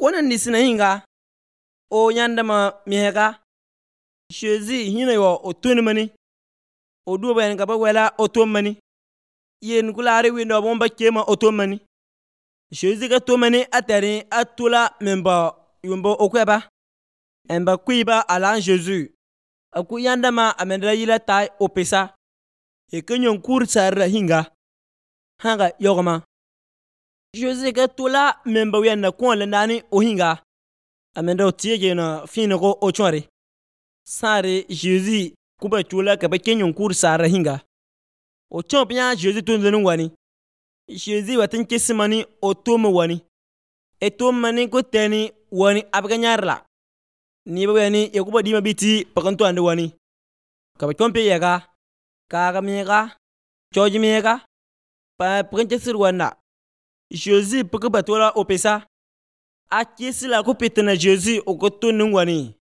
ona nisina hinga o yandama mihega Jésus hina yo o tonmani o du ben ga ba wela o tomani yen kulare windo bomba kema o tomani Jésus ga tomani atari atula memba yumbo okweba emba kuiba ala Jésus aku yandama amendra yila tai opesa e kenyon kur sarra hinga hanga yogama Jésus ga tula memba wianda kon landani o hinga amendra o tiege na fina ko o chore sare Jésus kuba tula ka ba kenyon kur sarra hinga o chompia Jésus tunzenu wani Jésus watin kesimani o tomo wani e tomani ko teni wani abganyarla ni ba wani e kuba dima biti pakanto ande wani ka ba chompe yega ka mega choji mega pa prenche sir wana Jésus paka batola opesa a kesila ko petena Jésus o ko tonu wani